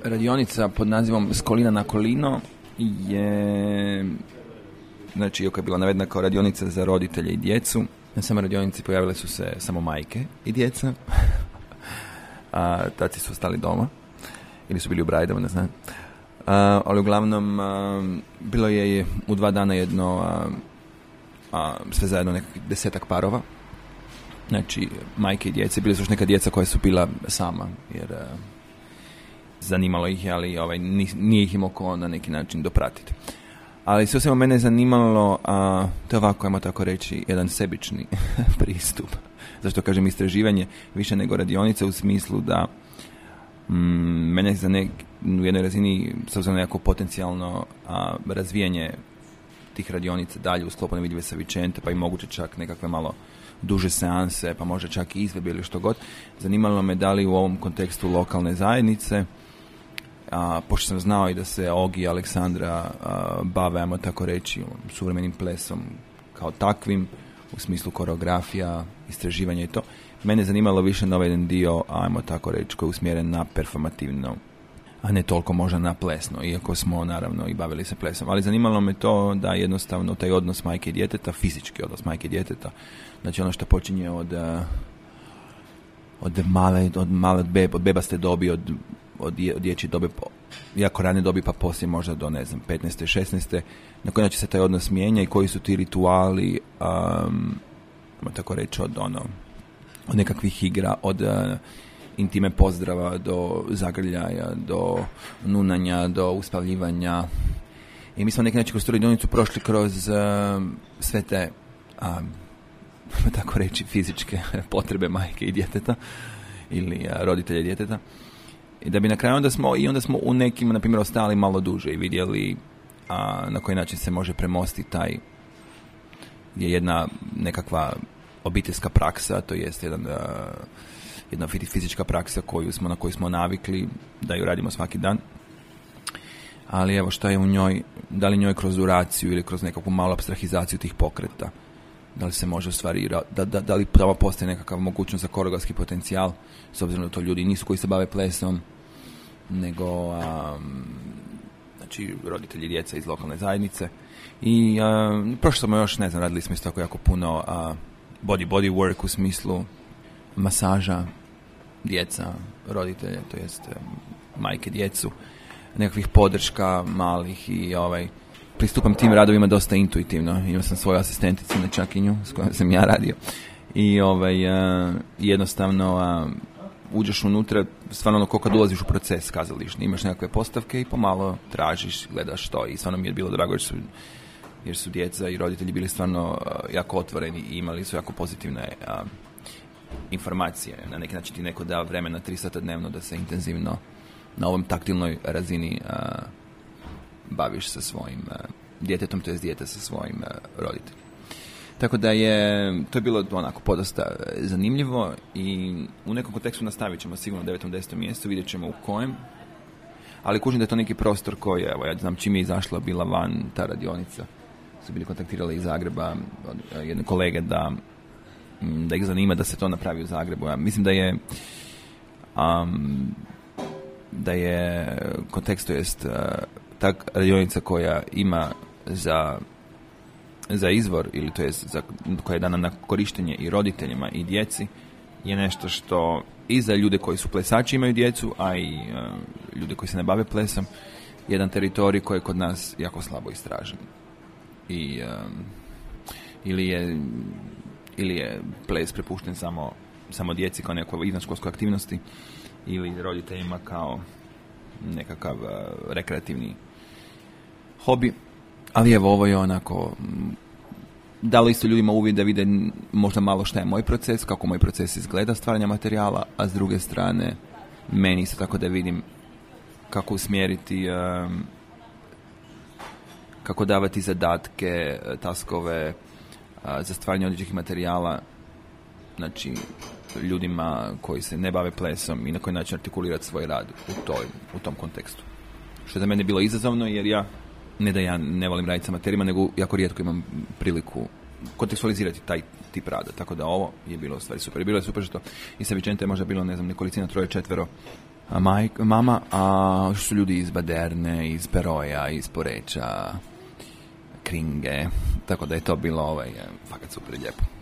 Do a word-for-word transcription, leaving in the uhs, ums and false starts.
radionica pod nazivom S kolina na kolino je, znači, iako je bila navedena kao radionica za roditelje i djecu, na samoj radionici pojavile su se samo majke i djeca, a taci su ostali doma, ili su bili u brajdama, ne znam. A, ali uglavnom, a, bilo je u dva dana jedno, a, a, sve zajedno nekakvih desetak parova, znači majke i djece, bili su još neka djeca koja su bila sama, jer a, zanimalo ih je, ali ovaj, nije ih imao ko na neki način dopratiti. Ali sve svema mene je zanimalo, a, to je ovako, ajmo tako reći, jedan sebični pristup. Zašto kažem istraživanje više nego radionica, u smislu da mm, mene za nek, u jednoj razini s obzirom na jako potencijalno a, razvijanje tih radionica dalje u sklopu Nevidljive sa Vicente, pa i moguće čak nekakve malo duže seanse, pa možda čak i izvedbe ili što god. Zanimalo me da li u ovom kontekstu lokalne zajednice, a, pošto sam znao i da se Ogi i Aleksandra a, bave, ajmo tako reći, suvremenim plesom kao takvim, u smislu koreografija, istraživanja i to. Mene je zanimalo više na ovaj jedan dio, ajmo tako reći, koji je usmjeren na performativno, a ne toliko možda na plesno, iako smo naravno i bavili se plesom. Ali zanimalo me to da jednostavno taj odnos majke i djeteta, fizički odnos majke i djeteta, znači ono što počinje od od male, od male beb, od bebaste dobi, od, od, dje, od dječje dobe, jako rane dobi, pa poslije možda do, ne znam, petnaeste, šesnaeste na koji način se taj odnos mijenja i koji su ti rituali, um, tako reći, od ono, od nekakvih igra, od uh, intime pozdrava do zagrljaja, do nunanja, do uspavljivanja. I mi smo neki način kroz tu radionicu prošli kroz uh, sve te, um, tako reći, fizičke potrebe majke i djeteta ili uh, roditelja djeteta. I da bi na kraju onda smo, i onda smo u nekim, na primjer, ostali malo duže i vidjeli a, na koji način se može premostiti taj, je jedna nekakva obiteljska praksa, to jest jedan, a, jedna fizička praksa koju smo, na koju smo navikli da ju radimo svaki dan. Ali evo šta je u njoj, da li njoj kroz duraciju ili kroz nekakvu malu abstrahizaciju tih pokreta, da li se može u stvari, da, da, da li pravo postoji nekakav mogućnost za koreografski potencijal, s obzirom da to ljudi nisu koji se bave plesom, nego um, znači roditelji djeca iz lokalne zajednice. I um, prošlo smo još, ne znam, radili smo isto tako jako puno uh, body body work u smislu masaža djeca, roditelje, to jest um, majke djecu, nekakvih podrška malih i ovaj pristupam tim radovima dosta intuitivno. Imao sam svoju asistenticu na čakinju s kojom sam ja radio i ovaj, uh, jednostavno uh, uđeš unutra, stvarno ono, ko kad ulaziš u proces kazališni, imaš nekakve postavke i pomalo tražiš, gledaš to i stvarno mi je bilo drago jer su, jer su djeca i roditelji bili stvarno uh, jako otvoreni i imali su jako pozitivne uh, informacije. Na neki način ti neko da vremena tri sata dnevno da se intenzivno na ovom taktilnoj razini uh, baviš sa svojim uh, djetetom, to je dijete sa svojim uh, roditeljima. Tako da je, to je bilo onako podosta zanimljivo i u nekom kontekstu nastavit ćemo sigurno u devetom, desetom mjestu, vidjet ćemo u kojem, ali kužim da je to neki prostor koji, evo, ja znam čim je izašla, bila van ta radionica, su bili kontaktirali iz Zagreba od jedne kolege da, da ih zanima da se to napravi u Zagrebu. Ja mislim da je um, da je kontekst, to jest uh, ta radionica koja ima za za izvor, ili to je za, koja je dana na korištenje i roditeljima i djeci, je nešto što i za ljude koji su plesači imaju djecu, a i uh, ljude koji se ne bave plesom, jedan teritorij koji je kod nas jako slabo istražen. I um, ili je ili je ples prepušten samo, samo djeci kao nekoj izvanškolskoj aktivnosti ili roditeljima kao nekakav uh, rekreativni hobi. Ali evo, ovo je onako dalo isto ljudima uvid da vide možda malo šta je moj proces, kako moj proces izgleda stvaranja materijala, a s druge strane meni isto tako da vidim kako usmjeriti, um, kako davati zadatke, taskove uh, za stvaranje određenih materijala, znači ljudima koji se ne bave plesom i na koji način artikulirati svoj rad u, toj, u tom kontekstu. Što je za mene bilo izazovno jer ja ne da ja ne volim raditi sa materijama, nego jako rijetko imam priliku kontekstualizirati taj tip rada. Tako da ovo je bilo u stvari super. I bilo je super što i sa Vicente je možda bilo, ne znam, nekolicina, troje, četvero a maj, mama, a što su ljudi iz Baderne, iz Peroja, iz Poreča, Kringe, tako da je to bilo ovaj, fakat super lijepo.